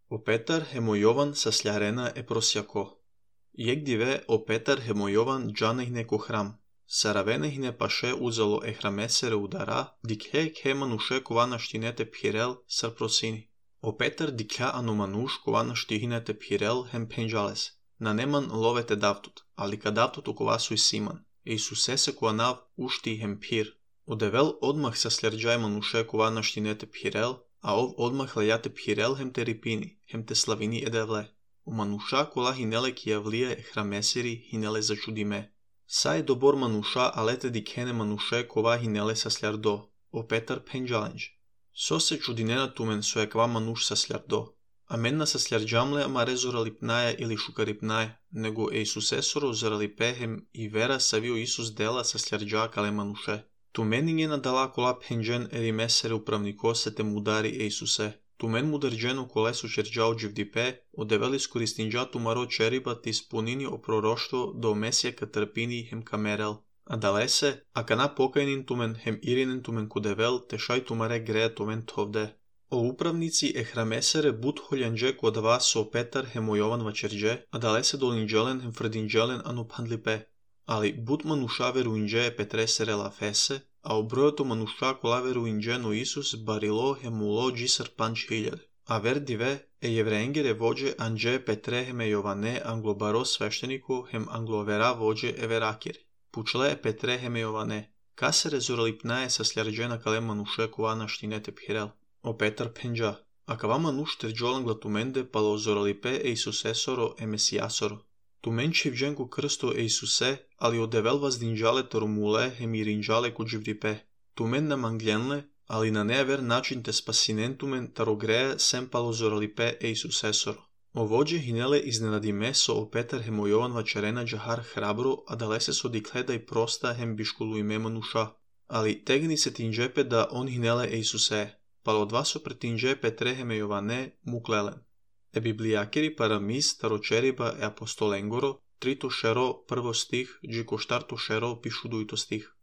O Petar hemojovan sa sľarena e prosjako. Jek dive o Petar hemojovan džanehne ko hram. Saravenehne paše uzalo e hramesere udara, dikhe manuše kovana štinete phirel sar prosini. O Petar dikha anu manuš kovana štihinete phirel hem penjales. Na neman lovete davtut, ali ka davtut ukovasui siman. Isuse se kovanav ušti hem phir. Odevel odmah sa sljarđaj manuše kovana štinete phirel, a ov odmah lejate phirel hem te ripini, hem te slavini edevle. U manuša kola hinele ki javlije e hrameseri hinele začudime. Sa je dobor manuša alete dikhene manuše kova hinele sa sljardo. O Petar penjalenj. So se čudinena tumen so je kva manuš sa sljardo. A menna sa sljarđamle ama rezoralipnaja ili šukaripnaja, nego e Isusesoro zaralipehem i vera savio Isus dela sa sljarđakale manuše. Tu meni njena dala kola penđen eri mesere upravniko se te mudari e Isuse. Tu men mudarđenu kolesu čerđao dživdipe, odeveli skoristinđatu maro čeriba ti spunini o proroštvo do mesija ka trpini hem kamerel. A dalese, a kana pokajnin tumen hem irinen tumen kudevel, te šaj tumare greja tumen tovde. O upravnici e hramesere but holjanđe kod vas o Petar hemojovan vačerđe, a dalese dolinđelen hem frdinđelen anu pandlipe. Ali but manuša veruinđe e Petresere la fese, a obrojoto manuša kola veruinđe no Isus barilo hemulo džisar panč hiljade. A ver dive, e jevreengere vođe anđe Petre heme Jovane anglobaro svešteniko hem anglovera vođe everakiri. Pučle e Petre heme Jovane, ka se rezoralipnaje sa sljarđena kale manuše kovana štinete phirel. O Petar penđa, a kava manuš terđolan glatumende palo zoralipe e Isusesoro e Mesijasoro. Tu menči vđenku krsto e Isuse, ali odevel vas dinđale torumule hem i rinđale kuđivdipe. Tu men na mangljenle, ali na never način te spasinentumen tarogreje sem palo zoralipe e Isusesoro. O vođe hinele iznenadime so o Petar hemojovan vačarena džahar hrabro, a dalese so dikleda i prosta hem biškulu ime manuša. Ali tegni se tinđepe da on hinele e Isuse, palo od vas so pretinđe Petre heme Jovane muklelen. E biblijakeri paramis taročeriba e apostolengoro, trito šero prvo stih, džiko štarto šero pišu dujto stih.